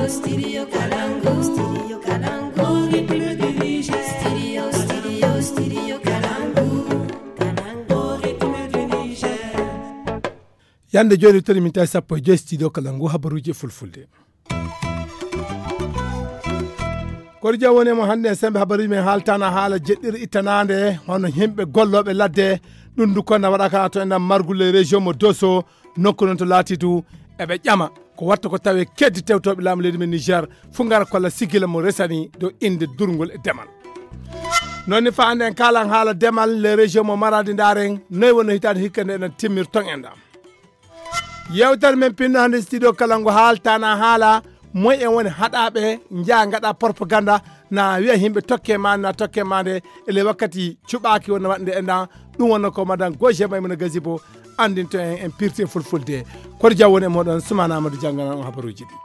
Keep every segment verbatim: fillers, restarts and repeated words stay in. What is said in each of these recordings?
Studio Kalangu, Studio Kalangu, Ritme du Niger. Studio, Studio, Studio Kalangu, Kalangu, Ritme du Niger. Yande jooni toni min tawi sappo e joyi studio kala ngu habaruuji e fulfulde. Kori jam woni e mo hannde en sembe habaruuji men haaltana haala jeɗɗiri ittanaande hono yimɓe gollooɓe ladde. Ɗum du konna waɗaka to enɗan margule région mo doso nokku noon to laati du eɓe ƴama ko watta ko tawe keddi tewtooɓe laamu leydi men niger fuu ngara kolla sigila mo resani dow innde durngol e demal. Noon ni fa hannde en kaalan haala demal les régions mo maraadi ndaaren noy wonno hitaande hikka nde enen timmir ton en ɗam. Yewtere men pinno hannde studio kala ngo haaltana haala moy en woni haɗaaɓe njaha ngaɗa propaganda na wiya yimɓe tokke ma na tokke ma nde ele wakkati cuɓaaki wonno waɗnde enɗan. Ɗum wonno ko madan goje maymuna gasibo anndinto en en pirti e fulfulde. Koto jaw woni e moɗon sumana amadou jannganan on habaruuji ɗi.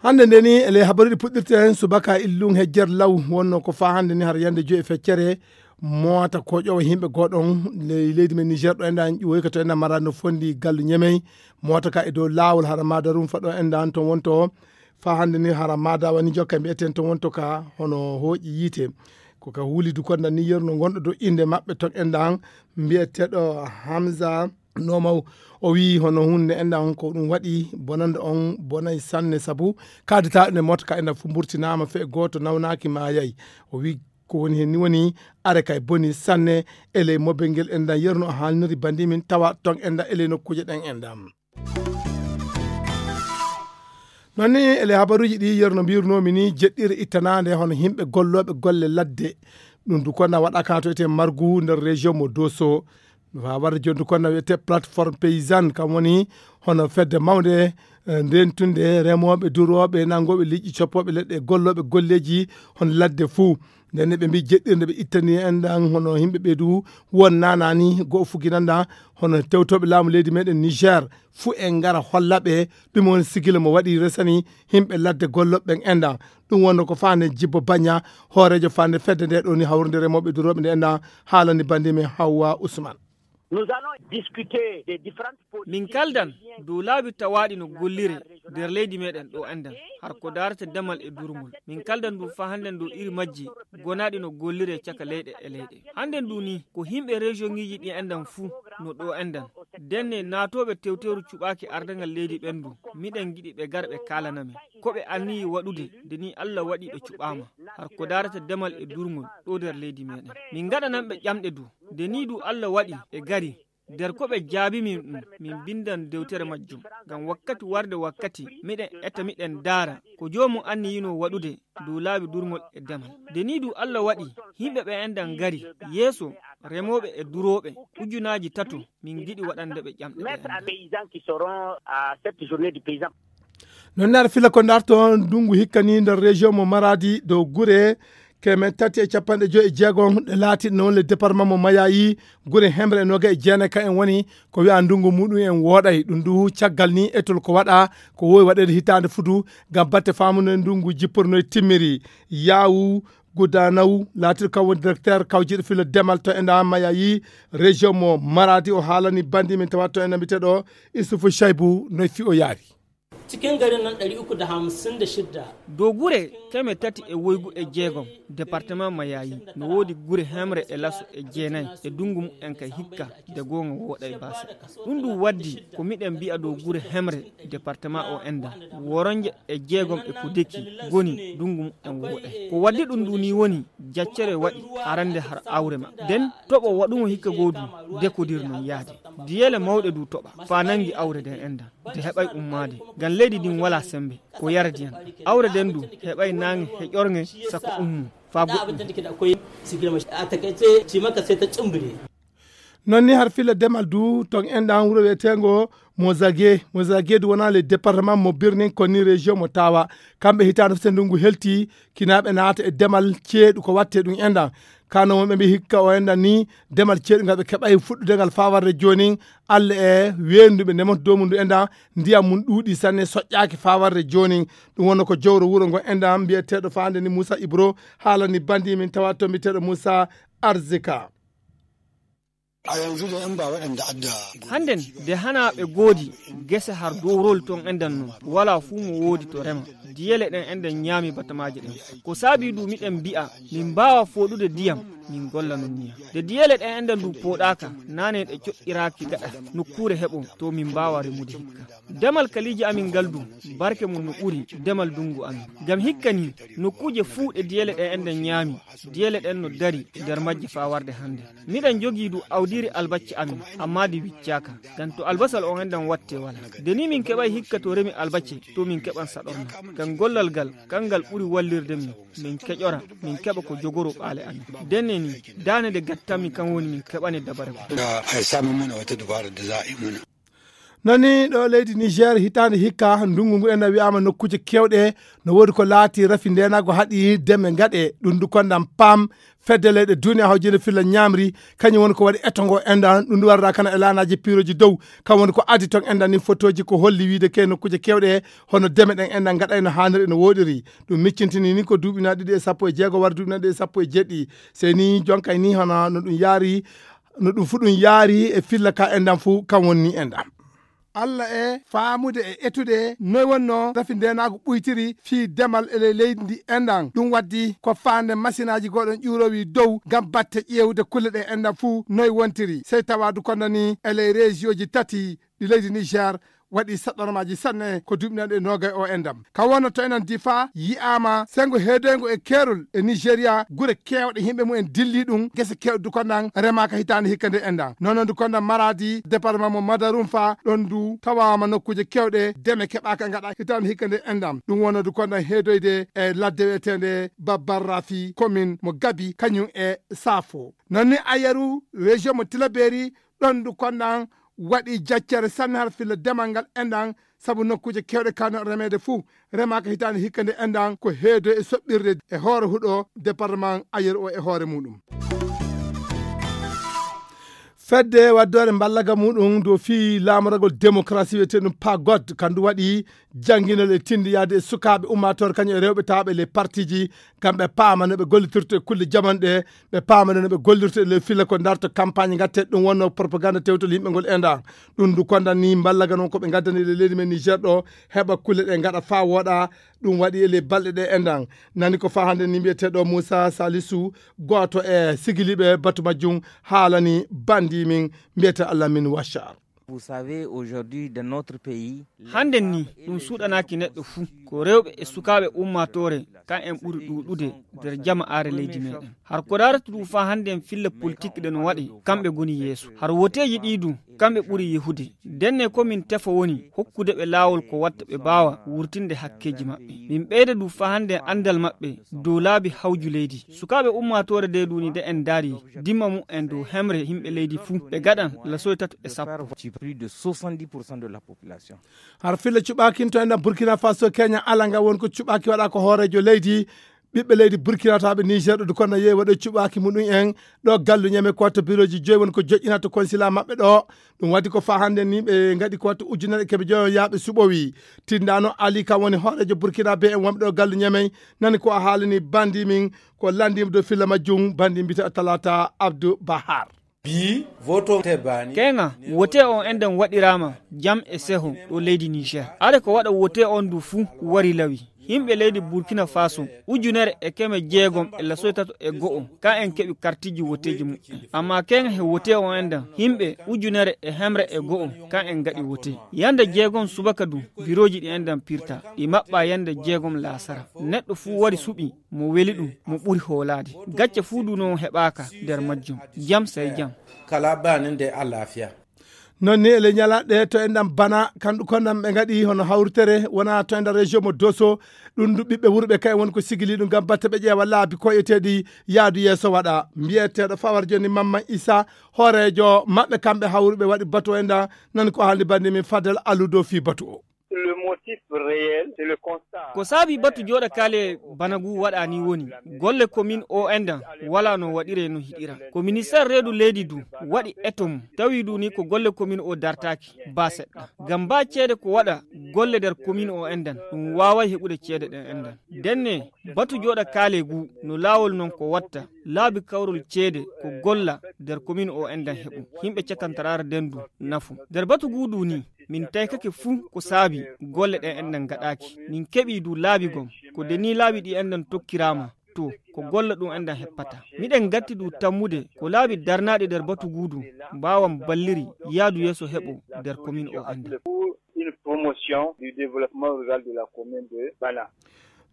Hannde nde ni ele habaruuji puɗɗirte en subaka illum hejjer law wonno ko fa hannde ni har yande joyi e feccere mota ko ƴowa yimɓe goɗon ley leydi men niger ɗo enɗan ƴiwoyka to enɗan mara no fondi gallu ñemey. Mota ka e dow lawol hara madarum fa ɗo enɗan ton wonto fa hannde ni hara mada wani jokka mbiyeten ton wonto ka hono hooƴi yiite. Ko ka huulidu konda ni yerno gonɗo dow innde maɓɓe ton enɗan mbiyeteɗo hamsa nomaw. O wi hono hunde enɗan ko ɗum waɗi bonande on bonay sanne sabu kadita ne mota ka enɗan fu mburtinama fe goto nawnaki mayay. O wi ko woni hen ni woni are kay boni sanne. Eley mobel ngel enɗan yerno o haalniri bandi min tawa ton enɗan eley nokkuje ɗen enɗan. Noon ni ele habaruuji ɗi yerno mbirnoomi ni jeɗɗire ittanaande hono yimɓe gollooɓe golle ladde. Ɗum du konna waɗaka to ete margu nder région mo doso. Fa warde joni du konna wiyete plateforme paysanne kam woni hono fedde mawnde eh, ndentunde remooɓe durooɓe nanngooɓe liƴƴi coppooɓe leɗɗe gollooɓe golleeji hono ladde fuu. Nden ne ɓe mbi jeɗɗirde ɓe ittani en ɗan hono yimɓe ɓe du won nanani goo fuginanda hono tewtoɓe laamu leydi meɗen niger. Fuu en ngara holla ɓe ɗum woni sigila mo waɗi resani yimɓe ladde golloɓe ɓen enɗan. Ɗum wonno ko fande jibbo bagna hoorejo fande fedde nde ɗo ni hawrude remoɓe duroɓe nde enɗan. Haalani bandi men hawwa ousmane. Nous allons discuter des différentes min kaldan dow laabi tawaaɗi no gollire nder leydi meɗen ɗo enɗan har ko darata damal e durngol. Min kaldan du fa hannden dow iri majji gonaɗi no gollire caka leyɗe e leyɗe. Hannden du ni ko himɓe région ngiji ɗi enɗan fuu no ɗo enɗan. Denne naatooɓe tewteeru cuɓaaki ardangal leydi ɓen du miɗen giɗi ɓe gara ɓe kaalana men ko ɓe anniyi waɗude nde ni allah waɗi ɓe cuɓaama har ko darata damal e durngol ɗo nder leydi meɗen. Min ngaɗanan ɓe ƴamɗe du nde ni du allah waɗi ɓe gari. Nder ko ɓe jaabi min ɗum min mbindan dewtere majjum. Ngam wakkati warde wakkati miɗen eta miɗen ndaara ko joomum anniyino waɗude dow laabi durngol e demal. Nde nii du allah waɗi yimɓe ɓe enɗan ngari yeeso remooɓe e durooɓe ujunaaji tato. Min ngiɗi waɗande ɓe ƴamɗe ɓe enɗan. Noon ne aɗa fila ko darto ndungu hikka ni nder région mo maradi dow gure keme tati e capanɗe joyi e jeegom ɗe laatiɗe noon le département mo mayayi. Gure hemre e noga e jeenay ka en woni ko wiya ndungu muɗum en wooɗay ɗum du caggal ni etol ko waɗa ko wowi waɗede hitaande fudu ngam batte famude ndungu jipporno e timmiri. Yawu gudanaw laatiɗo kam woni directeur kawjiɗo filo demal to enda mayayi région mo maradi o haalani bandi min tawa to enda mbiteɗo isufu shaybu noy fi o yaari. Cikin garin nan ɗari uku da hamsin da shidda. Dow gure keme tati e woygu e jeegom département mayayi no woodi gure hemre e laso e jeenay e dungu mumen kay hikka de goonga wooɗay baasa. Ɗum ɗum waddi ko miɗen mbi'a dow gure hemre département o enda woronje e jeegom e ko deki goni dungu mumen wooɗay ko waddi ɗum ɗum ni woni jaccere waɗi arande har awre ma nden toɓo waɗumo hikka goo du dekodir non yaade diyele mawɗe du toɓa fa nangi awre nden enda de heɓay ummaade ngam leydi ndin wala sembe ko yaradi en awre nden du heɓay nange heƴornge sako ummu fa goɗɗum. Noon ni har filla demal du ton enɗan wuro wiyetengo mozage mozage du wona le département mo birnin konni région mo tawa kamɓe hitande fete ndungu helti kinaɓe naata e demal ceeɗu ko watte ɗum enɗan. Kano wonɓe mbi hikka o enɗan ni demal ceeɗu ngal ɓe keɓay fuɗɗude ngal fawarde jonin allah e wenduɓe ndemoto dow mum ndu enɗan ndiyam mum ɗuuɗi sanne soƴƴaki fawarde jonin. Ɗum wonno ko jowro wuro ngo enɗan mbiyeteɗo fande ni moussa ibro haalani bandi min tawa to mbiyeteɗo moussa arzika. A yanzu da yan ba waɗanda adda. Hannden, de hanaa ɓe goodi gese har dowrol ton enɗan non, walaa fuu mo woodi to rema. Diyele ɗen enɗan ñaami batamaaje ɗen. Ko saabii du miɗen mbi'a, min mbaawa fooɗude diyam, min golla non niya. De diyele ɗen enɗan du pooɗaaka, naane ɗe coƴƴiraaki gaɗa nokkuure heɓon, to min mbaawa remude hikka. Demal kaliiji amin ngal du, barke mum no ɓuri demal dunngu amin. Ngam hikka nii, nokkuuje fuu ɗe diyele ɗen enɗan ñaami, diyele ɗen no dari nder majje faa warde hannde. Miɗen njogii du awdiiri albacce amin, ammaa ndi wiccaaka. Ngam to albasal on enɗan wattee walaa. De nii min keɓay hikka to remi albacce, to min keɓan saɗorma. Ngam gollal ngal, kangal ɓuri wallirde min. Min keƴora, min keɓa ko jogoroo ɓaale amin. Ndenne nii, daane nde gattanmi kan woni min keɓane dabare ko. Da a samu muna wata dubara da za a yi muna. Nani ɗo leydi Niger hitaande hikka, ndungu ngu ena wiyaama nokkuuje keewɗe no woodi ko laati rafi ndeenaagu haɗi deme ngaɗe. Ɗum ndu konndam pam fedde leyɗe duniya hawjinde filla ñaamri, kañum woni ko waɗi eto ngo enɗan. Ɗum ndu warda kana e laanaaji piirooji dow, kam woni ko adi toon enɗan ni fotooji ko holli wiide ke nokkuuje keewɗe hono deme ɗen enɗan ngaɗay no haaniri no wooɗiri. Ɗum miccintini ni ko duuɓi na ɗiɗi e sappo e jeego wara duuɓi na ɗiɗi e sappo e jeɗɗi. Sey ni jonkay ni hono no ɗum yaari, no ɗum fu ɗum yaari e filla ka enɗan fu kam woni ni enɗan. Alla e faamude e etude noy wonno rafi ndeenaagu ɓuytiri fii demal e ley leydi ndi enɗan. Ɗum waddi ko faande masinaaji gooɗon ƴuuroowi dow ngam batte ƴeewude kulle ɗe enɗan fuu noy wontiri. Sey tawaadu kono ni e ley reesiyooji tati ɗi leydi Niger waɗi saɗɗormaaji sanne ko duuɓi nanɗe noogay o enɗan. Ka wonno to enen Difa yi'aama senngo heedoyngo e keerol e Nigeria gure keewɗe yimɓe mumen dilli ɗum gese keewɗe du konɗan remaaka hitaande hikka nde enɗan. Noon du konɗan Maradi, département mo Madarumfa, ɗon du tawaama nokkuuje keewɗe deme keɓaaka ngaɗa hitaande hikka nde enɗan. Ɗum wonno du konɗan heedoyde e ladde wi'eteende Babbar Rafi, commune mo Gabi, kañum e Safo. Noon ni Ayeru, région mo Tilaberi, ɗon du konɗan waɗi jaccere sanne har filla demal ngal enɗan, sabu nokkuuje keewɗe kano remeede fuu remaaka hitaande hikka nde enɗan ko heedo e soɓɓirde e hoore huɗo département Ayeru o e hoore muɗum. Fedde waddoore mballaga muɗum dow fii laamoragol démocratie wiyeteeɗum PAGOD, kandu waɗi jannginol e tindi yaade e sukaaɓe ummaatoore kañum e rewɓe tawaaɓe ley partiji, ngam ɓe paama no ɓe gollitirta e kulle jamanu ɗe, ɓe paama no ɓe gollirta e ley filla ko darto campagne ngatte ɗum wonno propagande tewtol yimɓe ngol enɗan. Ɗum du konɗan ni mballaga non ko ɓe ngaddani e ley leydi men Niger ɗo, heɓa kulle ɗe ngaɗa faa wooɗa. Ɗum waɗi e ley balɗe ɗe enɗan. Nani ko faa hannde ni mbiyeteeɗo Moussa Salisu, gooto e sigiliiɓe batu majjum, haalani bandi min mbiyete Allah min Wachar. Vous savez, aujourd'hui, dans notre pays, hannden ni ɗum suuɗanaaki neɗɗo fuu. Ko rewɓe e sukaaɓe ummaatoore kan en ɓuri ɗuuɗude nder jama'aare leydi meɗen. Har ko darata ɗum faa hannden filla politik ɗe no waɗe, kamɓe ngoni yeeso. Har woteeji ɗi du, kamɓe ɓuri yehude. Ndenne ko min tefa woni hokkude ɓe laawol ko watta ɓe mbaawa wurtinde hakkeeji maɓɓe. Min ɓeyda du faa hannden anndal maɓɓe dow laabi hawju leydi. Sukaaɓe ummaatoore de duni de en daari dimma mu en dow hemre yimɓe leydi fuu ɓe gaɗan la soy tato e sappo. Plus de soixante-dix pour cent de la population. Har filla cuɓaakin to enɗan Burkina Faso, Kenya, ala nga won ko cuɓaaki waɗa ko hooreejo leydi. Ɓiɓɓe leydi Burkina tawaaɓe Niger ɗo du konɗan yehi waɗo cuɓaaki muɗum en ɗo gallu ñame ko watta birooji joyi woni ko joƴƴina to konsila maɓɓe ɗo. Ɗum waɗi ko faa hannden ni ɓe ngaɗi ko watta ujunere keɓe joyo yaaɓe suɓowi. Tindaano Ali kam woni hooreejo Burkina be en wonɓe ɗo gallu ñamey, nani ko a haalani bandi min ko lanndima dow filla majjum, bandi mbita Talata Abdou Bahar. Bi voto te bani. Keŋa, wote on enɗan waɗiraama jam e seho ɗo leydi Niger. Are ko waɗa wote on du fuu wari lawi. Yimɓe leydi Burkina Faso, ujunere e keme jeegom e lasoy tato e go'o, ka en keɓi kartiji woteeji muɓɓen. Amma keŋa he wote on enɗan, yimɓe ujunere e hemre e go'o, ka en ngaɗi wote. Yande jeegom subaka du, birooji ɗi enɗan pirta, ɗi maɓɓa yande jeegom laasara. Neɗɗo fuu wari suɓi, mo weli ɗum, mo ɓuri hoolaade. Gacce fuu du non heɓaaka nder majjum. Jam sey jam. Kala bani nde alafiya. Non ni e ley ñalaaɗe to enɗan bana, kanɗu konɗan ɓe ngaɗi hono hawritere, wona to enɗan région mo Doso, ɗum du ɓiɓɓe wuro ɓe kay woni ko sigili ɗum ngam batte ɓe ƴeewa laabi koyeteeɗi yaadu yeeso waɗa. Mbiyeteeɗo fawar joni Mamman Issa, hooreejo maɓɓe kamɓe hawruɓe waɗi batu o enɗan, nan ko haalni bandi min Fadel Aludo fii batu o. Le mot Ko saabi batu jooɗa kaale bana ngu waɗa ni woni, golle komin o endan wala no waɗire no hiɗira. Ko ministeer reedu leydi du waɗi eto mum, tawi du ni ko golle komin o dartaaki ba seɗɗa. Ngam ba ceede ko waɗa golle nder komin o endan, ɗum waaway heɓude ceede ɗen endan. Ndenne, batu jooɗa kaale ngu no laawol non ko watta, laabi kawrol ceede ko golla nder komin o endan heɓu. Yimɓe cakantaraare nden du nafu. Nder batu ngu du ni, min taykake fuu ko saabi golle ɗen enɗan gaɗaaki. Min keɓii du laabi gom. Ko de ni laabi ɗi enɗan tokkiraama, to, ko golla ɗum enɗan heppata. Miɗen gatti du tammude ko laabi darnaaɗi nder batu ngu du mbaawan balliri yaadu yeeso heɓo nder komin o enɗan. Une promotion du développement rural de la commune de Bana.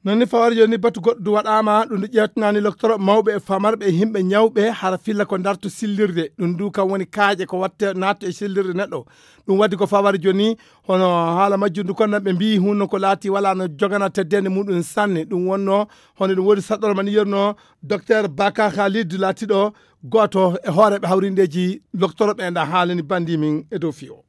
Non ni fawar joni batu goɗɗo du waɗama ɗum du ƴeewtanani loktoro mawɓe e famarɓe e yimɓe ñawɓe hara filla ko darto sillirde ɗum du kam woni kaaƴe ko watte natto e sillirde neɗɗo. Ɗum waddi ko fawar joni hono haala majjum du kon nan ɓe mbi hunno ko laati wala no jogana teddende muɗum sanne ɗum wonno hono ɗum woni saɗɗorma ni yerno docteur Baka Khalid laatiɗo goto e hooreɓe hawrindeji loktoroɓe e nda haalani bandi min e dow fiyo.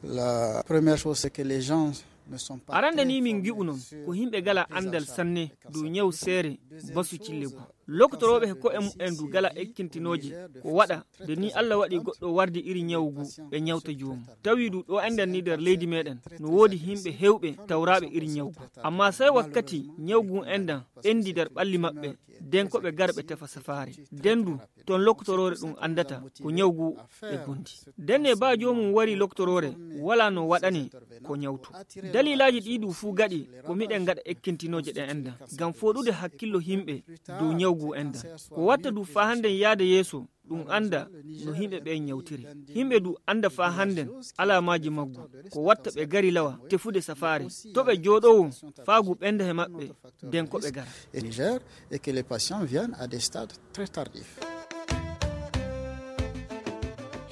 La première chose, c'est que les gens ne sont pas arande très ni min formés ngi'u non sur ko yimɓe gala les andal actions sanne dow ñaw seere basu cille gu. Loktorooɓe he ko'e mu'en du gala ekkintinooje ko waɗa de ni Allah waɗi goɗɗo wardi iri ñaw gu ɓe ñawta joomum. Tawi du ɗo enɗan ni nder leydi meɗen no woodi yimɓe hewɓe tawraaɓe iri ñaw gu. Amma sai wakkati ñaw gu enɗan ɓendi nder ɓalli maɓɓe, den ko ɓe garɓe tefa safaare. Den du ton loktoroore ɗum anndata ko ñaw ngu ɓe gondi. Denne ba joomum wari loktoroore wala no waɗane ko ñawtu. Dalilaaji ɗi du fuu gaɗi ko miɗen ngaɗa ekkintinooje ɗen enɗan ngam fooɗude hakkillo yimɓe dow ñaw ngu enɗan. Ko watta du faa hannden yaada yeeso ɗum annda no yimɓe ɓen ñawtiri. Yimɓe du annda faa hannden alaamaaji maggu. Ko watta ɓe gari lawa tefude safaare to ɓe jooɗowo faa ngu ɓenda he maɓɓe. Den ko ɓe gara. Et Niger, et que les patients viennent à des stades très tardifs.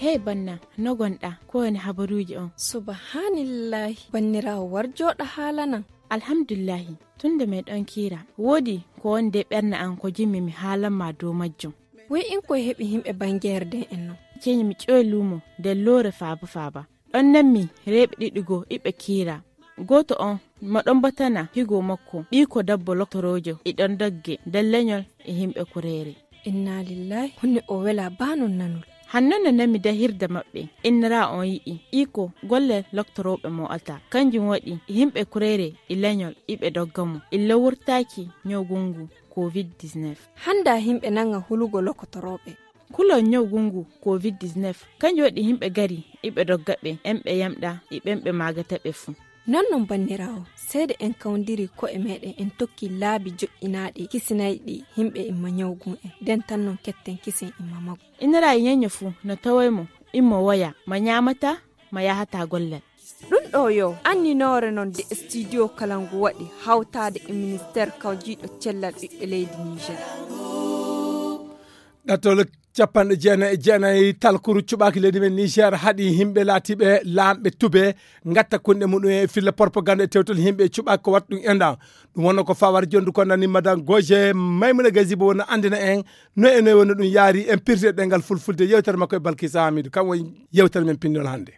Hey banna, no gonɗa? Ko woni habaruuji on? Subhanillahi, banniraawo war jooɗa haalanan. Alhamdulillahi, tun nde meɗon kiira, woodi ko woni de ɓernde an ko jimmi mi haalan ma dow majjum. Woy in koye heɓi yimɓe bangeere den en non? Ceñi mi ƴoy luumo nder loore faaba faaba. Ɗon nanmi reeɓe ɗiɗi goo iɓe kiira. Gooto on mo ɗon batana higo makko ɓiiko dabbo loktoroojo e ɗon dogge nder leñol e yimɓe kureere. Inna lillahi, honne o wela baa non nanol. Hanno no nami dahirde maɓɓe, innira on yi'i iko golle loktorooɓe mo'ata. Kanjum waɗi yimɓe kureere e leñol iɓe dogga mo illa wurtaaki ñawgungu covid dix-neuf. Hannda yimɓe nanga hulugo lokotorooɓe. Kulol ñawgungu covid dix-neuf kanjum waɗi yimɓe gari iɓe dogga ɓe en ɓe yamɗa e ɓen ɓe maagata ɓe fuu. Non non banniraawo, seede en kawndiri ko'e meɗen en tokki laabi joƴƴinaaɗi kisinayɗi yimɓe imma ñawgun en, nden tan non ketten kisen imma maggu. Innira e ñeño fuu no tawoy mo immo woya ma ñaamata ma yahata gollal. Ɗum ɗo yo anninoore non de studio kala ngu waɗi hawtaade e ministeer kawjiiɗo cellal ɓiɓɓe leydi Niger. Ɗattol capanɗe jeenayi e jeenayi talkuru cuɓaaki leydi men Niger haɗi yimɓe laatiiɓe laamɓe tube ngatta kunɗe muɗum e filla propagande e tewtol yimɓe cuɓaaki ko watta ɗum enɗan. Ɗum wonno ko fawar jondu ko nani madan goje maymuna gazibo wonno andina en no e noy wonno ɗum yaari en pirde ɗengal fulfulde yewtere makko e balkisa hamidu kam woni yewtere men pinnol hannde.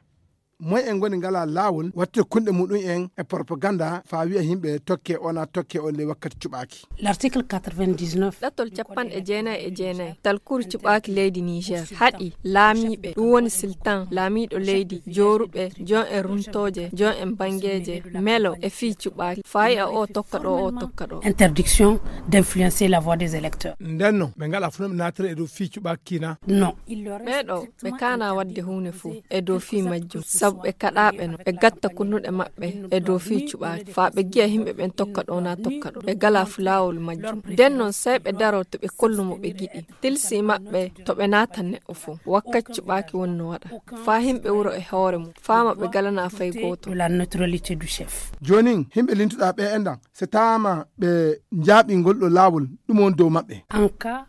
Moy en ngoni ngala laawol waɗtude kunɗe muɗum en e propaganda faa wi'a yimɓe tokke ona tokke on ley wakkati cuɓaaki. L'article quatre-vingt-dix-neuf. Ɗattol capanɗe jeenayi e jeenayi talkuru cuɓaaki leydi Niger haɗi laamiiɓe ɗum woni siltan laamiiɗo leydi jooruɓe jon en runtooje jon en bangeeje melo e fii cuɓaaki faa yi'a o tokka ɗo o tokka ɗo. Interdiction d'influencer la voix des électeurs. Ndenno ɓe ngala fuu no ɓe naatira e dow fii cuɓaaki kiina. Non. Ɓeeɗo ɓe kaana waɗde huunde fuu e dow fii majjum sabu ɓe kaɗaaɓe no ɓe gatta kunnuɗe maɓɓe e dow fii cuɓaaki faa ɓe gi'a yimɓe ɓen tokka ɗo naa tokka ɗo ɓe galaa fuu laawol majjum. Nden non sey ɓe daroo to ɓe kollu mo ɓe giɗi tilsi maɓɓe to ɓe naata neɗɗo fuu wakkati cuɓaaki woni no waɗa faa yimɓe wuro e hoore mum faa ma ɓe galanaa fay gooto. La neutralité du chef. Joonin yimɓe lintuɗaa ɓee enɗan se taama ɓe njaaɓii ngol ɗoo laawol ɗum woni dow maɓɓe.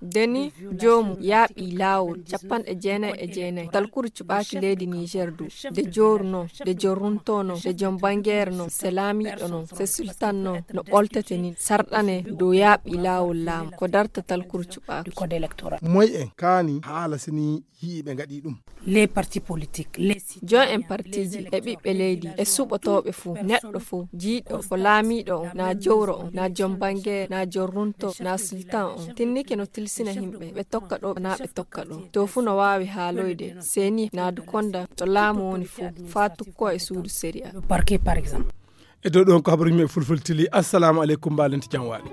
Deni joomum yaaɓii laawol capanɗe jeenayi e jeenayi talkuru cuɓaaki leydi Niger du de joor Tour noon, nde joom runto noon, nde joom banngeere noon, se laamiiɗo noon, se sultan noon no ɓoltete nii, sarɗane dow yaaɓi laawol laamu ko dartatal kurcuɓaaku. Moy en kaani haala sini yi'iɓe ngaɗi ɗum? Les partis politiques, les citoyens, joom en partiiji e ɓiɓɓe leydi e suɓotooɓe fof, neɗɗo fof jiiɗo ko laamiiɗo on naa jowro on naa joom banngeere naa joom runto naa sultan on tinnike no tilsina yimɓe ɓe tokka ɗo naa ɓe tokka ɗo. To fuu no waawi haaloyde seeni naadu konda to laamu woni fof faa tukkoo e suudu sériya. Parquet par exemple. E dow ɗon ko habaruji men fulfultili. Assalamu aleykum, mbalente jam waali.